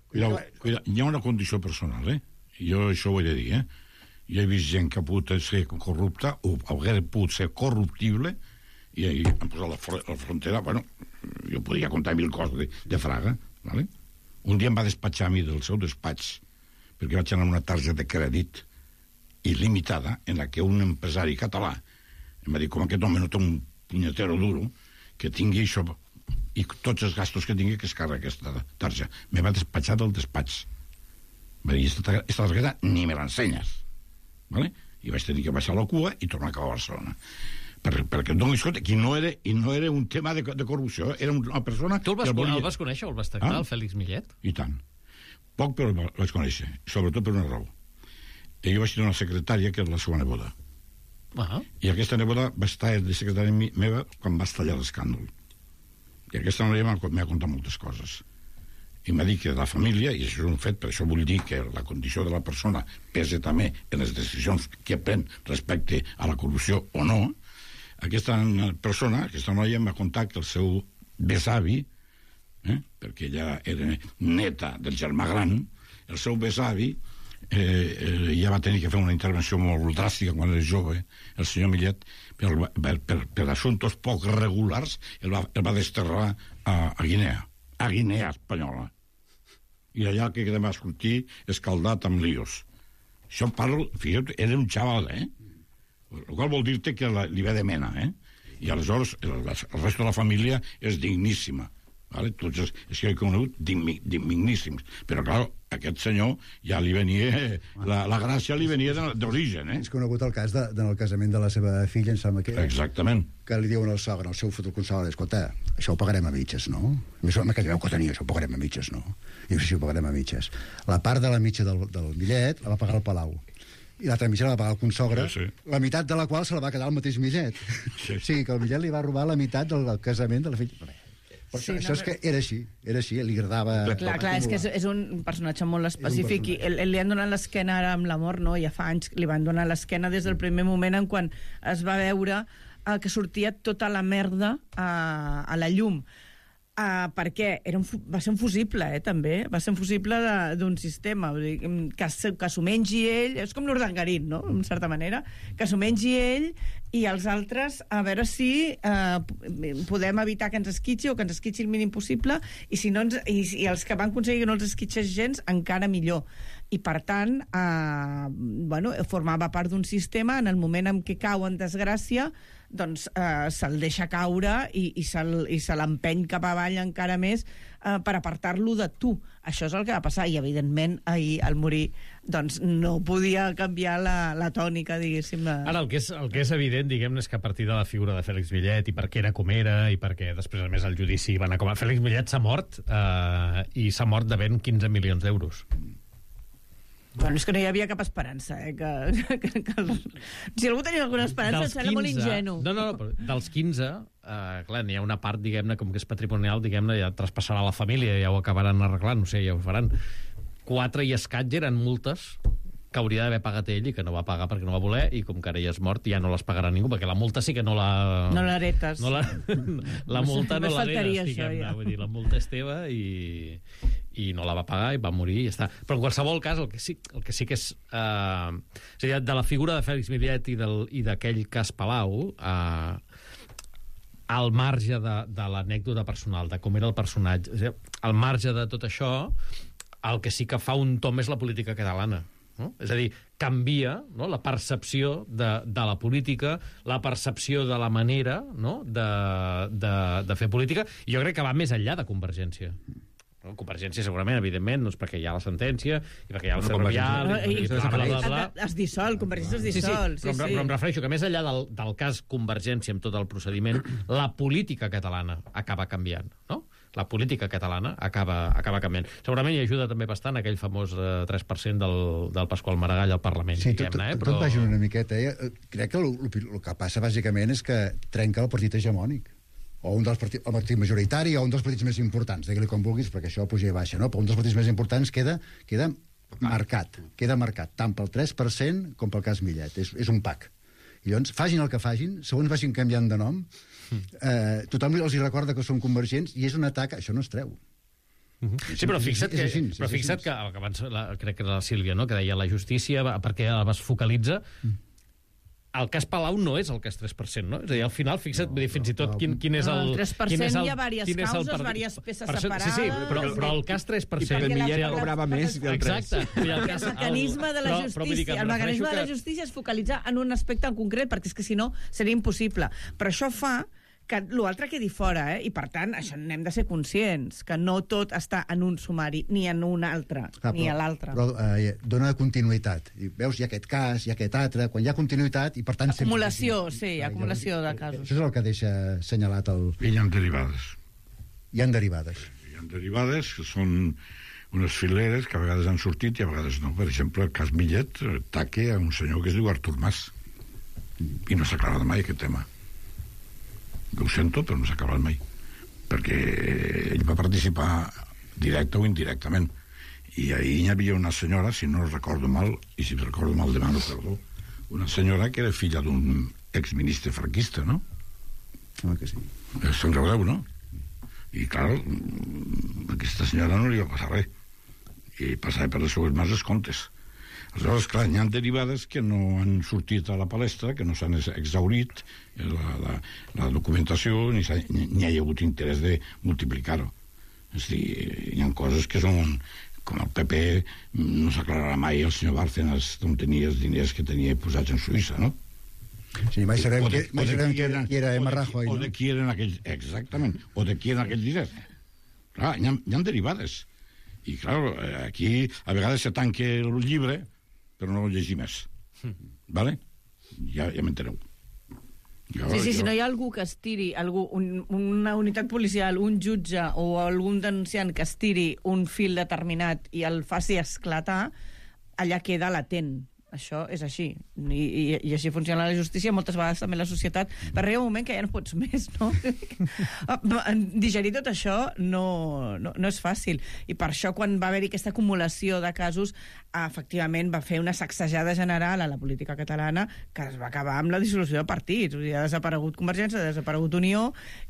Cuidao, hi ha una condició personal, Jo això ho he de dir, Jo he vist gent que ha pogut ser corrupta o hagués pogut ser corruptible i han posat la frontera, bueno, jo podria contar 1000 coses de Fraga, ¿vale? Un dia em va despatxar a mi del seu despatx perquè vaig anar amb una targeta de crèdit il·limitada en la que un empresari català em va dir, com aquest home no té un punyetero duro, que tingui això i tots els gastos que tingui que es carregui aquesta targeta. Me va despatxar del despatx. Va dir, esta targeta ni me l'ensenyes, ¿vale? I vaig tenir que baixar la cua i tornar a acabar a Barcelona. Perquè et donis compte que no era un tema de corrupció, era una persona... Tu el vas conèixer o el vas tractar, el Fèlix Millet? I tant. Poc, però el vaig conèixer, sobretot per una raó. Jo vaig tenir una secretària que era la seva neboda. I aquesta neboda va estar de secretària meva quan va estallar l'escàndol. I aquesta noia m'ha contat moltes coses. I m'ha dit que la família, i això és un fet, per això vull dir que la condició de la persona pesa també en les decisions que pren respecte a la corrupció o no, aquesta persona, aquesta noia, em va contar que el seu besavi, perquè ella era neta del germà gran, el seu besavi ja va tenir que fer una intervenció molt dràstica quan era jove, el senyor Millet, per assumptes poc regulars, el va desterrar a Guinea Espanyola. I allà que va sortir escaldat amb líos. Això parlo, fíjate, era un xaval, el qual vol dir-te que li ve de mena, i aleshores el resto de la família és digníssima, vale? Tots els que he conegut digníssims, però clar, aquest senyor ja li venia la gràcia li venia d'origen. És conegut el cas del casament de la seva filla, em sembla que exactament, que li diuen al sogre, al seu futur consagre, escolta, això ho pagarem a mitges, no? Més o menys que veu que tenia, això ho pagarem a mitges, no? I sí, ho pagarem a mitges. La part de la mitja del Millet la va pagar el Palau, i l'altra mitja la va pagar el consogre, la meitat de la qual se la va quedar el mateix Millet. O sigui, que el Millet li va robar la meitat del casament de la filla. Això és que era així, li agradava... Clar, és que és un personatge molt específic i li han donat l'esquena ara amb la mort, no? Ja fa anys li van donar l'esquena des del primer moment en quan es va veure que sortia tota la merda a la llum. Perquè va ser un fusible, també. Va ser un fusible d'un sistema. Que s'ho mengi ell... És com l'Urdangarín, no?, en certa manera. Que s'ho mengi ell i els altres, a veure si podem evitar que ens esquitxi o que ens esquitxi el mínim possible, i si no i els que van aconseguir que no els esquitxés gens, encara millor. I, per tant, formava part d'un sistema en el moment en què cau en desgràcia, doncs se'l deixa caure i se l'empeny cap avall encara més per apartar-lo de tu. Això és el que va passar, i evidentment ahir al morir doncs no podia canviar la tònica, diguéssim. Ara, el que és evident, diguem-ne, és que a partir de la figura de Fèlix Millet i per què era com era i perquè després, a més, el judici va anar com... Fèlix Millet s'ha mort i s'ha mort devent 15 milions d'euros. Bueno, és que no hi havia cap esperança, si algú tenia alguna esperança em sembla molt ingenu. No, però dels 15, clar, n'hi ha una part, diguem-ne, com que és patrimonial, diguem-ne, ja traspassarà la família, ja ho acabaran arreglant, no sé, ja ho faran. 4 i escaig eren multes que hauria d'haver pagat ell i que no va pagar perquè no va voler, i com que ara ja és mort ja no les pagarà ningú, perquè la multa sí que no la... No l'heretes. La multa no l'heretes, diguem-ne. Vull dir, la multa és teva i no la va pagar i va morir i ja està. Però en qualsevol cas, el que sí que és... és a dir, de la figura de Fèlix Millet i d'aquell cas Palau, al marge de l'anècdota personal, de com era el personatge, és a dir, al marge de tot això, el que sí que fa un tom és la política catalana. No? És a dir, canvia, no?, la percepció de la política, la percepció de la manera, no?, de fer política, i jo crec que va més enllà de Convergència. No? Convergència, segurament, evidentment, doncs perquè hi ha la sentència i perquè hi ha el ferrovial... Es dissol, Convergència es dissol. Sí, però em refereixo que més enllà del cas Convergència amb tot el procediment, la política catalana acaba canviant, no? La política catalana acaba canviant. Segurament hi ajuda també bastant aquell famós 3% del Pasqual Maragall al Parlament. Sí, tot va junt una miqueta. Crec que el que passa bàsicament és que trenca el partit hegemònic, o el partit majoritari, o un dels partits més importants, digue-li com vulguis, perquè això puja i baixa, no? Però un dels partits més importants queda marcat, tant pel 3% com pel cas Millet. És un pack. I llavors, facin el que facin, segons vagin canviant de nom, tothom els recorda que són convergents i és un atac, això no es treu. Sí, però fixa't que abans crec que era la Sílvia, no?, que deia la justícia perquè es focalitza. El cas Palau no és el cas 3%, no? És a dir, al final, fixa't, fins i tot quin és el... El 3% hi ha diverses causes, diverses peces separades... Sí, però el cas 3%... I perquè Millet cobrava més del 3%. Exacte. El mecanisme de la justícia es focalitza en un aspecte en concret, perquè és que si no seria impossible. Però això fa que l'altre quedi fora, i per tant, això n'hem de ser conscients, que no tot està en un sumari, ni en un altre, ni a l'altre. Però dona continuïtat. I veus, hi ha aquest cas, hi ha aquest altre, quan hi ha continuïtat, i per tant... Acumulació, sí, acumulació de casos. Això és el que deixa assenyalat el... I hi ha derivades. Hi ha derivades. Hi ha derivades que són unes fileres que a vegades han sortit i a vegades no. Per exemple, el cas Millet ataca a un senyor que es diu Artur Mas. I no s'ha aclarat mai aquest tema. Ho sento, però no s'ha acabat mai, perquè ell va participar directe o indirectament, i ahir hi havia una senyora, si no recordo mal, i si recordo mal demano perdó, una senyora que era filla d'un exministre franquista, no? Que sí. Se'n recordeu, no? I clar, aquesta senyora no li va passar res, i passava per les seues mans els comptes. Aleshores, clar, hi ha derivades que no han sortit a la palestra, que no s'han exhaurit la documentació, ni hi ha hagut interès de multiplicar-ho. És a dir, hi ha coses que són... Com el PP no s'aclararà mai el senyor Bárcenas d'on tenia els diners que tenia posats en Suïssa, no? Sí, mai sabem qui era Emma Rajoy, no? O de qui eren aquells... Exactament, o de qui eren aquells diners. Clar, hi ha derivades. I, clar, aquí a vegades se tanca el llibre, però no el llegir més. Vale? Ja m'enteneu. Si no hi ha algú que estiri, una unitat policial, un jutge o algun denunciant que estiri un fil determinat i el faci esclatar, allà queda latent. Això és així. I així funciona la justícia, moltes vegades també la societat. Per arribar un moment que ja no pots més, no? Digerir tot això no és fàcil. I per això, quan va haver-hi aquesta acumulació de casos, efectivament va fer una sacsejada general a la política catalana que es va acabar amb la dissolució de partits. O sigui, ha desaparegut Convergència, ha desaparegut Unió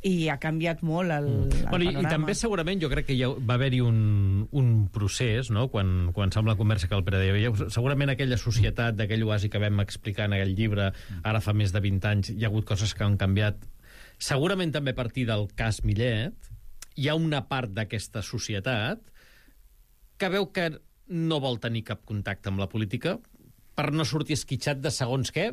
i ha canviat molt el panorama. I també segurament jo crec que ja va haver-hi un procés, no? Quan sembla la conversa que el Pere deia, segurament aquella societat d'aquell oasi que vam explicar en aquell llibre, ara fa més de 20 anys, hi ha hagut coses que han canviat. Segurament també a partir del cas Millet, hi ha una part d'aquesta societat que veu que no vol tenir cap contacte amb la política per no sortir esquitxat de segons què,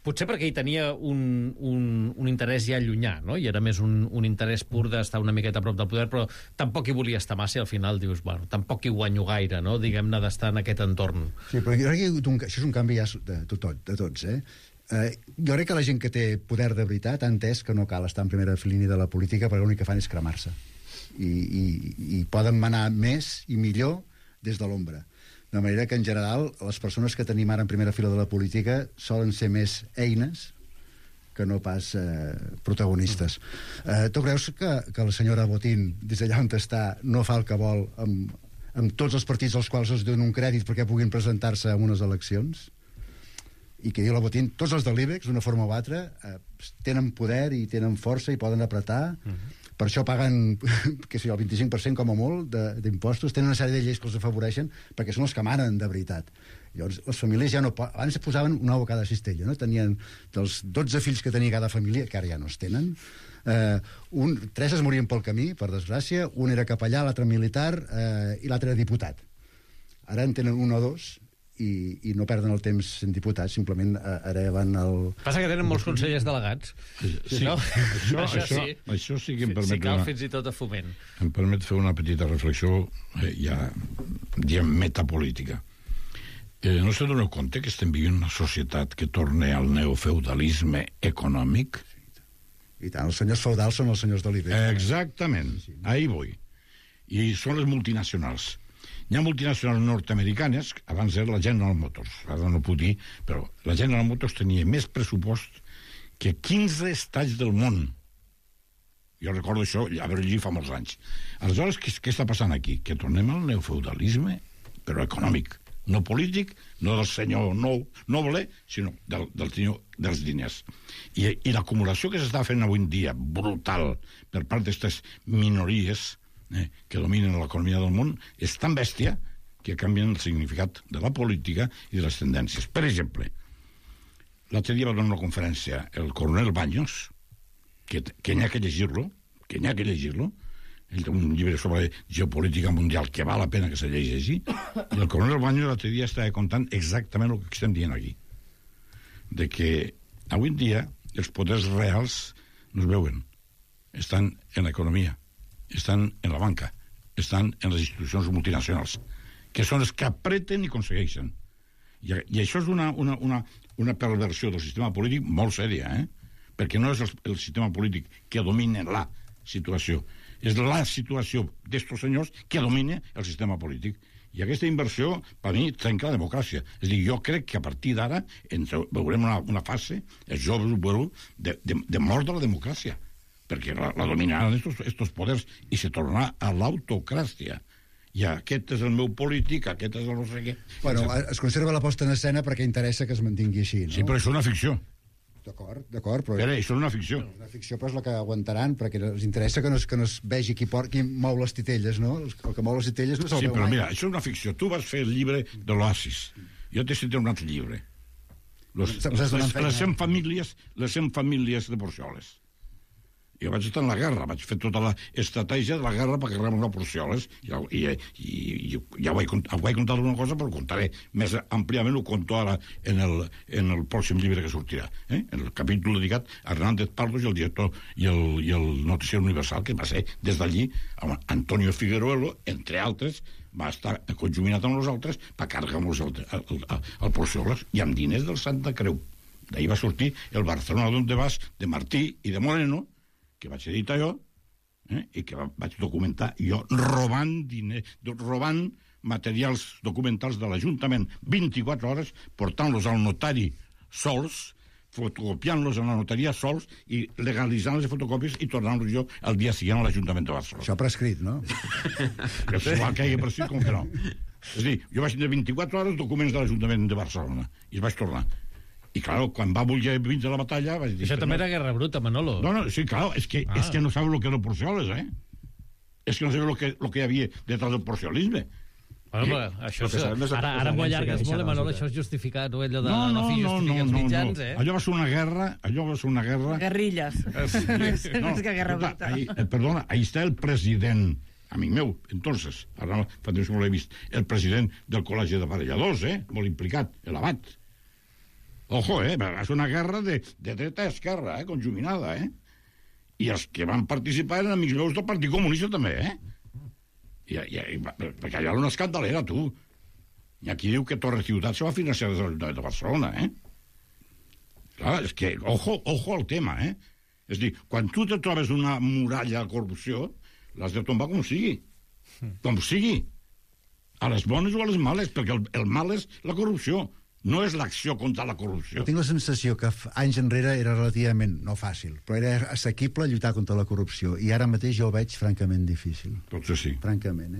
potser perquè hi tenia un interès ja llunyà, no? I era més un interès pur d'estar una miqueta a prop del poder, però tampoc hi volia estar massa i al final dius, bueno, tampoc hi guanyo gaire, no? Diguem-ne, d'estar en aquest entorn. Sí, però jo crec que això és un canvi ja de tots, eh? Jo crec que la gent que té poder de veritat ha entès que no cal estar en primera línia de la política perquè l'únic que fan és cremar-se. I poden manar més i millor des de l'ombra. De manera que, en general, les persones que tenim ara en primera fila de la política solen ser més eines que no pas protagonistes. Tu creus que la senyora Botín, des d'allà on està, no fa el que vol amb tots els partits als quals es donen un crèdit perquè puguin presentar-se a unes eleccions? I que diu la Botín, tots els de l'IBEX, d'una forma o altra, tenen poder i tenen força i poden apretar. Per això paguen, que sé, el 25% com a molt d'impostos, tenen una sèrie de lleis que els afavoreixen perquè són els que manen de veritat. Llavors, les famílies ja no... Abans posaven un ou a cada cistella, no? Tenien dels 12 fills que tenia cada família, que ara ja no es tenen, 3 es morien pel camí, per desgràcia, un era capellà, l'altre militar i l'altre era diputat. Ara en tenen 1 o 2 i no perden el temps sent diputats, simplement hereven el... Passa que tenen molts consellers delegats. Sí, no? Això sí que em permet... Si cal, fins i tot a Foment. Em permet fer una petita reflexió ja, diem, metapolítica. No se doneu compte que estem vivint una societat que torna al neofeudalisme econòmic? I tant, els senyors feudals són els senyors de l'IBEX. Exactament, ahí voy. I són les multinacionals. Hi ha multinacionals nord-americanes, abans era la General Motors, ara no puc dir, però la General Motors tenia més pressupost que 15 estats del món. Jo recordo això, haver-ho llegit fa molts anys. Aleshores, què està passant aquí? Que tornem al neofeudalisme, però econòmic, no polític, no del senyor noble, sinó del senyor dels diners. I l'acumulació que s'està fent avui en dia, brutal, per part d'aquestes minories que dominen l'economia del món, és tan bèstia que canvien el significat de la política i de les tendències. Per exemple, l'altre dia va donar una conferència el coronel Baños, que n'hi ha que llegir-lo, ell té un llibre sobre geopolítica mundial que val la pena que se llegeixi, i el coronel Baños l'altre dia estava contant exactament el que estem dient aquí, de que avui en dia els poders reals no es veuen, estan en l'economia, estan en la banca, estan en les institucions multinacionals, que són les que apreten i aconsegueixen. I això és una perversió del sistema polític molt sèria, perquè no és el sistema polític que domina la situació, és la situació d'estos senyors que domina el sistema polític. I aquesta inversió, per mi, trenca la democràcia. És a dir, jo crec que a partir d'ara veurem una fase, els joves ho veureu, de mort de la democràcia, perquè la dominaran estos poders i se tornarà a l'autocràcia. I aquest és el meu polític, aquest és el no sé què. Bueno, es conserva la posta en escena perquè interessa que es mantingui així, no? Sí, però això és una ficció. D'acord, però... Però això és una ficció. Una ficció, però és la que aguantaran, perquè els interessa que no es vegi qui mou les titelles, no? El que mou les titelles no se'l veu mai. Sí, però mira, això és una ficció. Tu vas fer el llibre de l'Oasis, Jo t'he citat un altre llibre. Les 100 famílies de Porcioles. Jo vaig estar en la guerra, vaig fer tota l'estratègia de la guerra per carregar-nos a Porcioles, i ja ho vaig contar una cosa, però ho contaré més àmpliament, ho conto ara en el pròxim llibre que sortirà, en el capítol dedicat a Hernández Pardos i el director i el noticiari Universal, que va ser des d'allí Antonio Figueruelo, entre altres, va estar conjuminat amb nosaltres per carregar-nos al Porcioles i amb diners del Santa Creu. D'ahir va sortir el Barcelona d'Onde Vas de Martí i de Moreno, que vaig editar jo, i que vaig documentar jo robant materials documentals de l'Ajuntament 24 hores, portant-los al notari sols, fotocopiant-los en la notaria sols i legalitzant les fotocòpies i tornant-los jo el dia següent a l'Ajuntament de Barcelona. Això prescrit, no? És igual que hagi prescrit com que no. És a dir, jo vaig tenir 24 hores documents de l'Ajuntament de Barcelona i es vaig tornar. I, clar, quan va voler vindre a la batalla... Vaig dir, això també era guerra bruta, Manolo. No, sí, clar, és que no sabeu el que era el Porcioles, És que no sabeu el que hi havia detrás del porciolisme. Bueno, això ara m'ho allargues molt, Manolo, això és justificat, allò de la fi justifica els mitjans, Allò va ser una guerra... Guerrilles. Més que guerra bruta. Perdona, ahí està el president, amic meu, entonces, ara fa temps que no l'he vist, el president del Col·legi d'Aparelladors, molt implicat, l'Abat. Ojo, va ser una guerra de dreta a esquerra, conjuminada, I els que van participar eren amics meus del Partit Comunista, també, perquè allà era una escandalera, tu. I aquí diu que Torre Ciutat se va financiar des de l'Ajuntament de Barcelona, Clar, és que, ojo al tema, És a dir, quan tu te trobes una muralla de corrupció, l'has de tombar com sigui. Com sigui. A les bones o a les males, perquè el mal és la corrupció. No és l'acció contra la corrupció. Jo tinc la sensació que anys enrere era relativament, no fàcil, però era assequible lluitar contra la corrupció, i ara mateix jo ho veig francament difícil. Potser sí. Francament,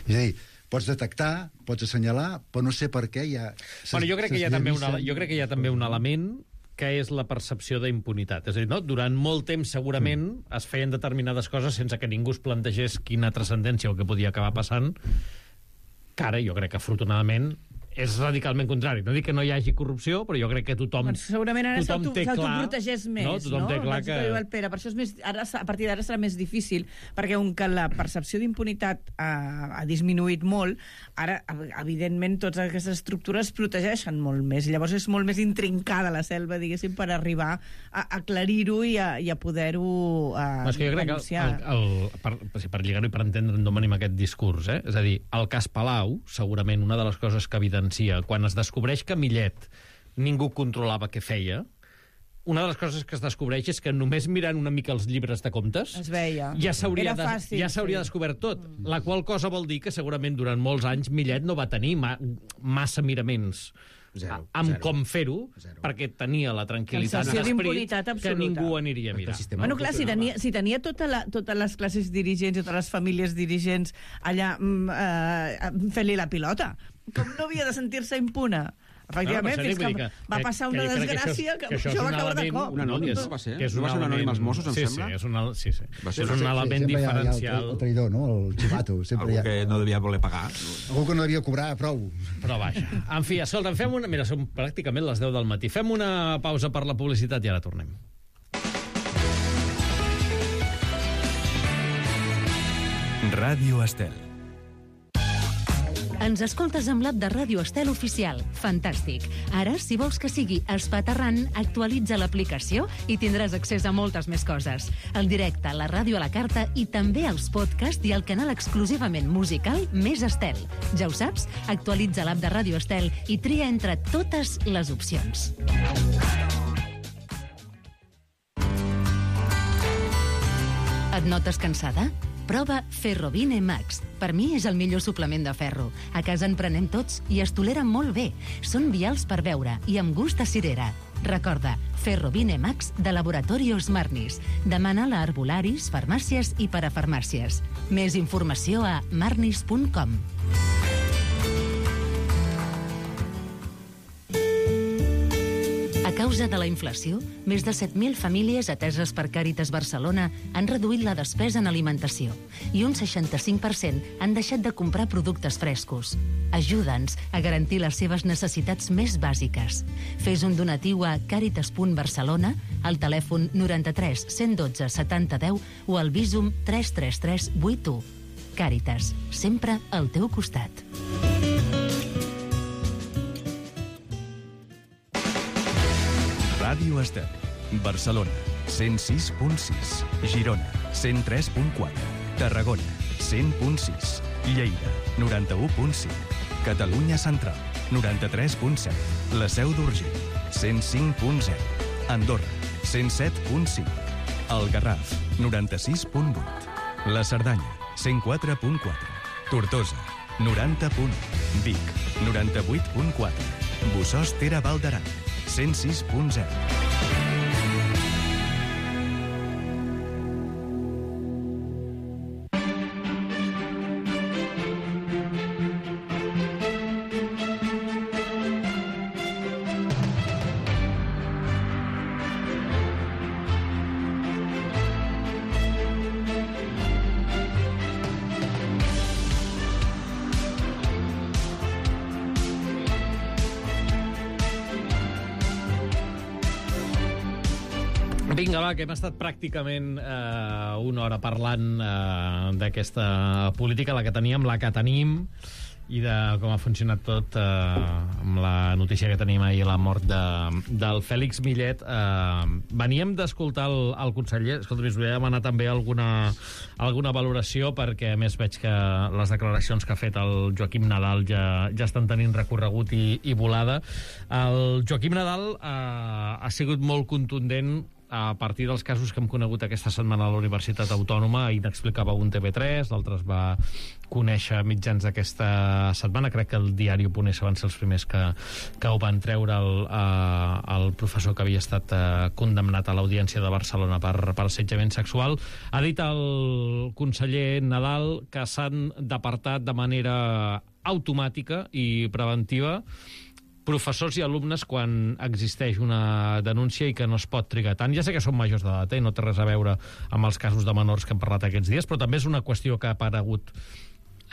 És a dir, pots detectar, pots assenyalar, però no sé per què hi ha... Bueno, jo crec que hi ha també un element que és la percepció d'impunitat. És a dir, durant molt temps segurament es feien determinades coses sense que ningú es plantegés quina transcendència o què podia acabar passant, que ara jo crec que afortunadament és radicalment contrari. No dic que no hi hagi corrupció, però jo crec que tothom segurament ara s'autoprotegeix més, no? Tothom té clar que... Per això és més, ara, a partir d'ara serà més difícil, perquè que la percepció d'impunitat ha disminuït molt, ara, evidentment, totes aquestes estructures protegeixen molt més. Llavors és molt més intrincada la selva, diguéssim, per arribar a aclarir-ho i a poder-ho és que jo crec que, per lligar-ho i per entendre d'on venim aquest discurs, és a dir, el cas Palau, segurament una de les coses que quan es descobreix que Millet ningú controlava què feia, una de les coses que es descobreix és que només mirant una mica els llibres de comptes es veia. Ja s'hauria descobert tot, la qual cosa vol dir que segurament durant molts anys Millet no va tenir massa miraments amb com fer-ho, perquè tenia la tranquil·litat d'esperit que ningú aniria a mirar. Bueno, clar, si tenia totes les classes dirigents i totes les famílies dirigents allà fent-li la pilota, com no havia de sentir-se impune? Efectivament, fins que va passar una desgràcia que això va caure de cop. Un anònim va ser? No va ser un anònim als Mossos, em sembla? Sí. És un element diferencial. El traïdor, no? El xivato. Algú que no devia voler pagar. Algú que no devia cobrar prou. Però vaja. En fi, escolta, fem una... Mira, són pràcticament les 10 del matí. Fem una pausa per la publicitat i ara tornem. Ràdio Estel. Ens escoltes amb l'app de Ràdio Estel Oficial. Fantàstic. Ara, si vols que sigui espaterrant, actualitza l'aplicació i tindràs accés a moltes més coses. El directe, la ràdio a la carta i també els podcasts i el canal exclusivament musical Més Estel. Ja ho saps? Actualitza l'app de Ràdio Estel i tria entre totes les opcions. Et notes cansada? Prova Ferrovine Max. Per mi és el millor suplement de ferro. A casa en prenem tots i es toleren molt bé. Són vials per beure i amb gust a cirera. Recorda, Ferrovine Max de Laboratorios Marnis. Demana-la a herbolaris, farmàcies i parafarmàcies. Més informació a marnis.com. A causa de la inflació, més de 7.000 famílies ateses per Càritas Barcelona han reduït la despesa en alimentació i un 65% han deixat de comprar productes frescos. Ajuda'ns a garantir les seves necessitats més bàsiques. Fes un donatiu a caritas.barcelona, al telèfon 93 112 70 10 o al Bizum 333 81. Càritas, sempre al teu costat. Ràdio Estel. Barcelona, 106.6. Girona, 103.4. Tarragona, 100.6. Lleida, 91.5. Catalunya Central, 93.7. La Seu d'Urgell, 105.0. Andorra, 107.5. El Garraf, 96.8. La Cerdanya, 104.4. Tortosa, 90.1. Vic, 98.4. Bussòs Ter Val d'Aran, 106.0. Vinga, va, que hem estat pràcticament una hora parlant d'aquesta política, la que teníem, la que tenim, i de com ha funcionat tot amb la notícia que tenim ahir, la mort del Fèlix Millet. Veníem d'escoltar el conseller. Escolta, us volia demanar també alguna valoració, perquè a més veig que les declaracions que ha fet el Joaquim Nadal ja estan tenint recorregut i volada. El Joaquim Nadal ha sigut molt contundent a partir dels casos que hem conegut aquesta setmana a la Universitat Autònoma. Ahir n'explicava un TV3, l'altre es va conèixer mitjans d'aquesta setmana. Crec que el diari.es van ser els primers que ho van treure el professor que havia estat condemnat a l'Audiència de Barcelona per assetjament sexual. Ha dit el conseller Nadal que s'han d'apartar de manera automàtica i preventiva professors i alumnes quan existeix una denúncia i que no es pot trigar tant. Ja sé que són majors d'edat, no té res a veure amb els casos de menors que hem parlat aquests dies, però també és una qüestió que ha aparegut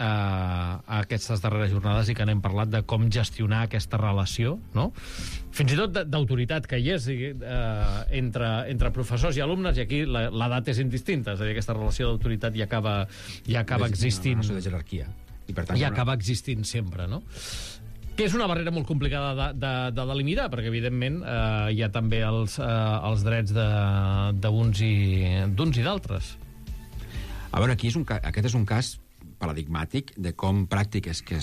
a aquestes darreres jornades i que n'hem parlat de com gestionar aquesta relació, no? Fins i tot d'autoritat que hi és entre professors i alumnes, i aquí l'edat és indistinta, és a dir, aquesta relació d'autoritat ja acaba existint. Una relació de jerarquia. I per tant, ja acaba existint sempre, no? Que és una barrera molt complicada de delimitar, perquè, evidentment, hi ha també els drets d'uns i d'altres. A veure, aquest és un cas paradigmàtic de com pràctiques que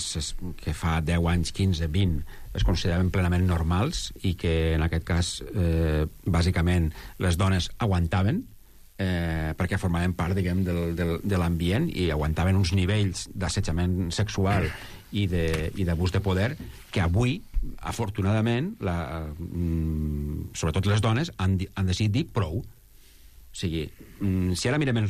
fa 10 anys, 15, 20 es consideraven plenament normals i que, en aquest cas, bàsicament, les dones aguantaven perquè formaven part, diguem, de l'ambient i aguantaven uns nivells d'assetjament sexual i d'abús de poder que avui, afortunadament, sobretot les dones, han decidit dir prou. O sigui, si ara mirem